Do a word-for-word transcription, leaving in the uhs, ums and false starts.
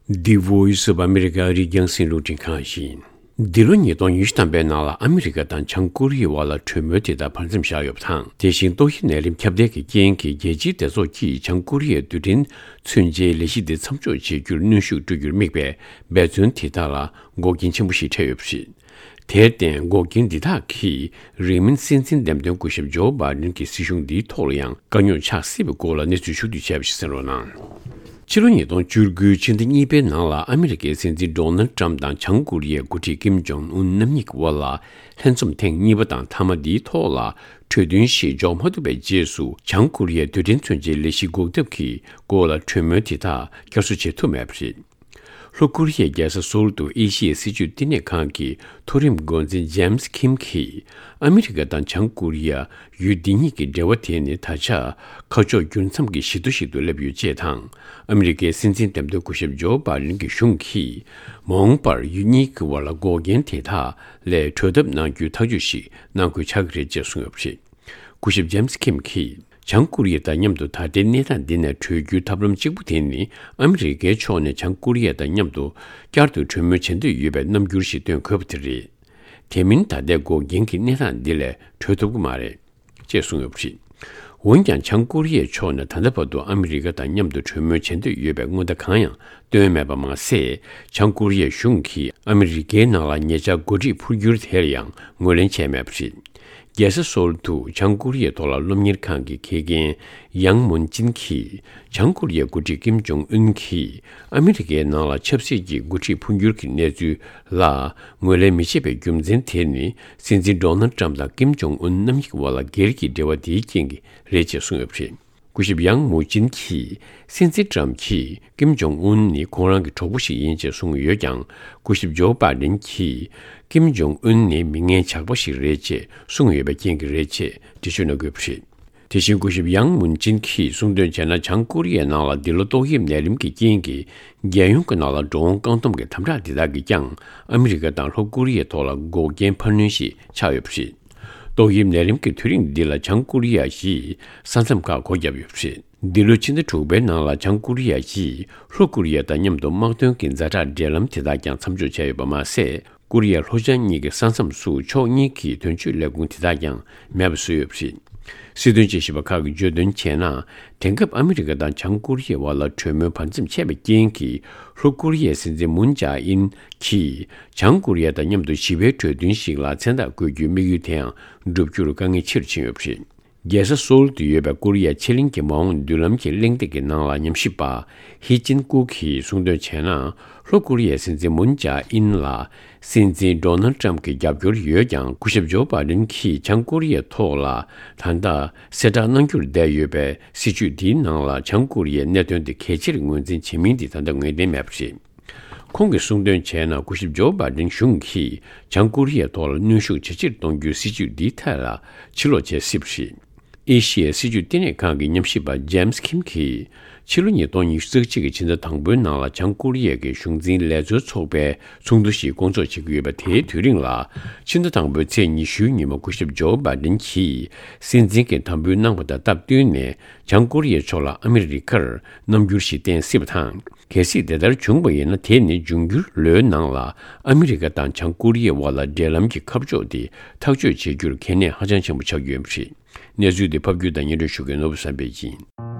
The Voice of America ཨ་རིའི་རྒྱང་སྲིང་རླུང་འཕྲིན་ཁང་ཡིན། འདི་ལོ་ཉིས་སྟོང་ཉི་ཤུ་ཐམ་པའི་ནང་ལ་ཨ་མི་རི་ཀ་དང་བྱང་ཀོ་རི་ཡའི་བར་ལ་གྲོས་མོལ་དེ་དག་བར་མཚམས་བཞག་ཡོད་པ་དང་། དེ་བཞིན་ཏོག་དབྱིབས་ནད་རིམས་ཁྱབ་གདལ་གྱི་རྐྱེན་གྱིས་རྒྱལ་སྤྱིའི་སྡེ་ཚོགས་ཀྱིས་བྱང་ཀོ་རི་ཡའི་རྡུལ་ཕྲན་མཚོན་ཆའི་ལས་གཞི་འདི་མཚམས་འཇོག་བྱེད་རྒྱུར་གནོན་ཤུགས་སྤྲོད་རྒྱུར་དམིགས་པའི་འབད་བརྩོན་དེ་དག་ལ་འགོག་རྐྱེན་ཆེན་པོ་ཞིག་འཕྲད་ཡོད་པ་རེད། དེར་བརྟེན་འགོག་རྐྱེན་འདི་དག་གིས་རིང་མིན་སྲིད་འཛིན་འདེམས་ཐོན་སྐུ་ཞབས་ཇོ་བྷའི་ཌེན་གྱི་སྲིད་གཞུང་འདིའི་ཐོག་ལ་ཡང་དཀའ་རྙོག་ཆགས་སྲིད་པའི་སྐོར་ལ་གནས་ཚུལ་ཕྱོགས་བསྡུས་བྱས་པ་ཞིག་གསན་རོགས་གནང་། ཕྱི་ལོ་ཉིས་སྟོང་བཅུ་དགུ་ཕྱི་ཟླ་གཉིས་པའི་ནང་ལ་ཨ་མི་རི་ཀའི་སྲིད་འཛིན་ཌོ་ནལ་ཏྲམ་དང་བྱང་ཀོ་རི་ཡའི་འགོ་ཁྲིད་ཀིམ་ཇོང་ཨུན་རྣམ་གཉིས་ཀྱི་དབར་ལ་ལྷན་འཛོམས་ཐེངས་གཉིས་པ་དང་མཐའ་མ་འདིའི་ཐོག་ལ་གྲོས་མཐུན་ཞིག་འཇོག་མ་ཐུབ་པའི་རྗེས་སུ། བྱང་ཀོ་རི་ཡའི་རྡུལ་ཕྲན་མཚོན་ཆའི་ལས་གཞི་འགོག་ཐབས་ཀྱི་སྐོར་ལ་གྲོས་མོལ་དེ་དག་བསྐྱར་གསོ་བྱེད་ཐུབ་མེད་པ་རེད། ལྷོ་ཀོ་རི་ཡའི་རྒྱལ་ས་སོལ་དུ་ཨེ་ཤི་ཡའི་སྲིད་བྱུས་བསྟི་གནས་ཁང་གི་མཐོ་རིམ་འགོ་འཛིན་ཇེམ་སི་ཁིམ་གྱིས། ཨ་མི་རི་ཀ་དང་བྱང་ཀོ་རི་ཡ་ཡུལ་འདི་གཉིས་ཀྱི་འབྲེལ་བ་དེ་ནི་ད་ཆ་ཁ་ཕྱོགས་འགྱུར་མཚམས་ཀྱི་བཞི་མདོ་ཞིག་ཏུ་སླེབས་ཡོད་ཅེས་དང་། ཨ་མི་རི་ཀའི་སྲིད་འཛིན་འདེམས་ཐོན་སྐུ་ཞབས་ཇོ་བྷའི་ཌེན་གྱི་གཞུང་གིས། མ་འོངས་པར་ཡུལ་གཉིས་ཀྱི་དབར་ལ་འགོག་རྐྱེན་དེ་དག་ལས་གྲོལ་ཐབས་གནང་རྒྱུའི་ཐག་གཅོད་ཞིག་གནང་དགོས་ཆགས་ཀྱི་རེད་ཅེས་གསུངས་ཡོད་པ་རེད། སྐུ་ཞབས་ཇེམ་སི་ཁིམ་གྱིས། བྱང་ཀོ་རི་ཡ་དང་མཉམ་དུ་ད་ལྟའི་གནས་སྟངས་འདི་ནས་གྲོལ་རྒྱུའི་ཐབས་ལམ་གཅིག་པུ་དེ་ནི། ཨ་མི་རི་ཀའི་ཕྱོགས་ནས་བྱང་ཀོ་རི་ཡ་དང་མཉམ་དུ་བསྐྱར་དུ་གྲོས་མོལ་བྱེད་འདོད་ཡོད་པའི་རྣམ་འགྱུར་ཞིག་སྟོན་དགོས་པ་དེ་རེད། དེ་མིན་ད་ལྟའི་འགོག་རྐྱེན་གྱི་གནས་སྟངས་འདི་ལས་གྲོལ་ཐུབ་ཀྱི་མ་རེད། ཅེས་གསུངས་ཡོད་པ་རེད། འོན་ཀྱང་། བྱང་ཀོ་རི་ཡའི་ཕྱོགས་ནས་ད་ལྟ་བར་དུ་ཨ་མི་རི་ཀ་དང་མཉམ་དུ་གྲོས་མོལ་བྱེད་འདོད་ཡོད་པའི་མངོན་བརྡ་གང་ཡང་བཏོན་མེད་པ་མ་ཟད། བྱང་ཀོ་རི་ཡའི་གཞུང་གིས་ཨ་མི་རི་ཀའི་ནང་ལ་ཉེ་ཆར་འགོ་ཁྲིད་འཕོ་འགྱུར་དེར་ཡང་ངོས་ལེན་བྱས་མེད་པ་རེད། རྒྱལ་ས་སོལ་དུ་བྱང་ཀོ་རི་ཡའི་ཐོག་ལ་སློབ་གཉེར་ཁང་གི་དགེ་རྒན་ཡང་མུན་ཅིན་གྱིས། བྱང་ཀོ་རི་ཡའི་འགོ་ཁྲིད་ཀིམ་ཇོང་ཨུན་གྱིས་ཨ་མི་རི་ཀའི་ནང་ལ་ཆབ་སྲིད་ཀྱི་འགོ་ཁྲིད་འཕོ་འགྱུར་གྱི་གནས་ཚུལ་ལ་ངོས་ལེན་མི་བྱེད་པའི་རྒྱུ་མཚན་དེ་ནི། སྲིད་འཛིན་ཌོ་ནལ་ཏྲམ་དང་ཀིམ་ཇོང་ཨུན་རྣམ་གཉིས་ཀྱི་དབར་ལ་སྒེར་གྱི་འབྲེལ་བ་དེའི་རྐྱེན་གྱིས་རེད་ཅེས་གསུངས་ཡོད་པ་རེད། སྐུ་ཞབས་ཡང་མུ་ཅིན་གྱིས། སྲིད་འཛིན་ཏྲམ་གྱིས་ཀིམ་ཇོང་ཨུན་ནི་ཁོང་རང་གི་གྲོགས་པོ་ཞིག་ཡིན་ཅེས་གསུངས་ཡོད་ཀྱང་། སྐུ་ཞབས་ཇོ་བྷའི་ཌེན་གྱིས། ཀིམ་ཇོང་ཨུན་ནི་མི་ངན་ཇག་པ་ཞིག་རེད་ཅེས་གསུངས་ཡོད་པའི་རྐྱེན་གྱིས་རེད་ཅེས་འགྲེལ་བརྗོད་གནང་དགོས་པ་རེད། དེ་བཞིན་སྐུ་ཞབས་ཡང་མུན་ཅིན་གྱིས་གསུངས་དོན་བྱས་ན། བྱང་ཀོ་རི་ཡའི་ནང་ལ་འདི་ལོ་ཏོག་དབྱིབས་ནད་རིམས་ཀྱི་རྐྱེན་གྱིས། རྒྱལ་ཡོངས་ཀྱི་ནང་ལ་འགྲོ་འོང་བཀག་སྡོམ་གྱི་དམ་དྲག་འདི་དག་གིས་ཀྱང་། ཨ་མི་རི་ཀ་དང་ལྷོ་ཀོ་རི་ཡའི་ཐོག་ལ་འགོག་རྐྱེན་འཕར་སྣོན་ཞིག་ཆགས་ཡོད་པ་རེད། ཏོག་དབྱིབས་ནད་རིམས་ཀྱི་དུས་རིང་འདི་ལ་བྱང་ཀོ་རི་ཡ་ཡིས་ས་མཚམས་ཁག་སྒོ་བརྒྱབ་ཡོད་པ་རེད། འདི་ལོའི་ཕྱི་ཟླ་དྲུག་པའི་ནང་ལ་བྱང་ཀོ་རི་ཡ་ཡིས་ལྷོ་ཀོ་རི་ཡ་དང་མཉམ་དུ་དམག་དོན་གྱི་ཛ་དྲག་འབྲེལ་ལམ་དེ་དག་ཀྱང་མཚམས་འཇོག་བྱས་ཡོད་པ་མ་ཟད། ཀོ་རི་ཡ་ལྷོ་བྱང་གཉིས་ཀྱི་ས་མཚམས་སུ་ཕྱོགས་གཉིས་ཀྱི་དོན་གཅོད་ལས་ཁུངས་དེ་དག་ཀྱང་མེད་པ་བཟོས་ཡོད་པ་རེད། སྲིད་དོན་དཔྱད་ཞིབ་པ་ཁག་གིས་བརྗོད་དོན་བྱས་ན། དེང་སྐབས་ཨ་མི་རི་ཀ་དང་བྱང་ཀོ་རི་ཡའི་དབར་ལ་གྲོས་མོལ་བར་མཚམས་ཆད་པའི་རྐྱེན་གྱིས། ལྷོ་ཀོ་རི་ཡའི་སྲིད་འཛིན་མུན་ཇཱ་ཨིན་གྱིས། བྱང་ཀོ་རི་ཡ་དང་མཉམ་དུ་ཞི་བའི་གྲོས་མཐུན་ཞིག་ལ་མཚན་རྟགས་བཀོད་རྒྱུའི་དམིགས་ཡུལ་དེའང་འགྲུབ་རྒྱུར་དཀའ་ངལ་ཆེ་རུ་ཕྱིན་ཡོད་པ་རེད། རྒྱལ་ས་སོལ་དུ་ཡོད་པའི་ཀོ་རི་ཡ་ཕྱེད་གླིང་གི་མ་འོངས་མདུན་ལམ་གྱི་གླེང་སྟེགས་ཀྱི་ནང་ལ་ཉམས་ཞིབ་པ་ཧི་ཅིན་ཀུ་གིས་གསུངས་དོན་བྱས་ན། ལྷོ་ཀོ་རི་ཡའི་སྲིད་འཛིན་མུན་ཇཱ་ཨིན་ལ། སྲིད་འཛིན་ཌོ་ནལ་ཏྲམ་གྱི་རྒྱབ་སྐྱོར་ཡོད་ཀྱང་། སྐུ་ཞབས་ཇོ་བྷའི་ཌེན་གྱིས་བྱང་ཀོ་རི་ཡའི་ཐོག་ལ་ད་ལྟ་གསལ་བསྒྲགས་གནང་རྒྱུར་བསྡད་ཡོད་པའི་སྲིད་བྱུས་འདིའི་ནང་ལ། བྱང་ཀོ་རི་ཡའི་གནད་དོན་དེ་གལ་ཆེར་ངོས་འཛིན་བྱེད་མིན་དེ་ད་ལྟ་ངེས་གཏན་མེད་པ་རེད། ཁོང་གིས་གསུངས་དོན་བྱས་ན། སྐུ་ཞབས་ཇོ་བྷའི་ཌེན་གཞུང་གིས་བྱང་ཀོ་རི་ཡའི་ཐོག་ལ་གནོན་ཤུགས་ཇེ་ཆེར་གཏོང་རྒྱུའི་སྲིད་བྱུས་འདིའི་ཐད་ལ་ཕྱིར་ལོག་བྱེད་སྲིད་པ་རེད། ཨེ་ཤི་ཡའི་སྲིད་བྱུས་བསྟི་གནས་ཁང་གི་ཉམས་ཞིབ་པ་ཇེམ་སི་ཁིམ་གྱིས། ཕྱི་ལོ་ཉིས་སྟོང་ཉི་ཤུ་རྩ་གཅིག་གི་ཕྱི་ཟླ་དང་པོའི་ནང་ལ་བྱང་ཀོ་རི་ཡ་གི་གཞུང་འཛིན་ལས་བཟོའི་ཚོགས་པའི་ཚོགས་འདུ་ཞིག་སྐོང་ཚོགས་བྱེད་ཀྱི་ཡོད་པ། དེའི་དུས་རིང་ལ། ཕྱི་ཟླ་དང་པོའི་ཚེས་ཉི་ཤུའི་ཉིན་མོ་སྐུ་ཞབས་ཇོ་བྷའི་ཌེན་གྱིས་སྲིད་འཛིན་གྱི་དམ་འབུལ་གནང་བ་དང་སྟབས་བསྟུན་ནས། བྱང་ཀོ་རི་ཡའི་ཕྱོགས་ལ་ཨ་མི་རི་ཀར་རྣམ་འགྱུར་ཞིག་བསྟན་སྲིད་པ་དང་། གལ་སྲིད་དེ་ལྟར་བྱུང་བ་ཡིན་ན། དེ་ནི་འབྱུང་འགྱུར་ལོའི་ནང་ལ་ཨ་མི་རི་ཀ་དང་བྱང་ཀོ་རི་ཡའི་དབར་ལ་འབྲེལ་ལམ་གྱི་ཁ་ཕྱོགས་དེ་ཐག་གཅོད་བྱེད་རྒྱུར་གལ་གནད་ཧ་ཅང་ཆེན་པོ་ཆགས་ཀྱི་ཡོད་པ་རེད། གནས་ཚུལ་འདི་ཕབ་སྒྱུར་དང་སྙན་སྒྲོན་ཞུ་མཁན་ནོར་བུ་བསམ་འཕེལ་ཡིན།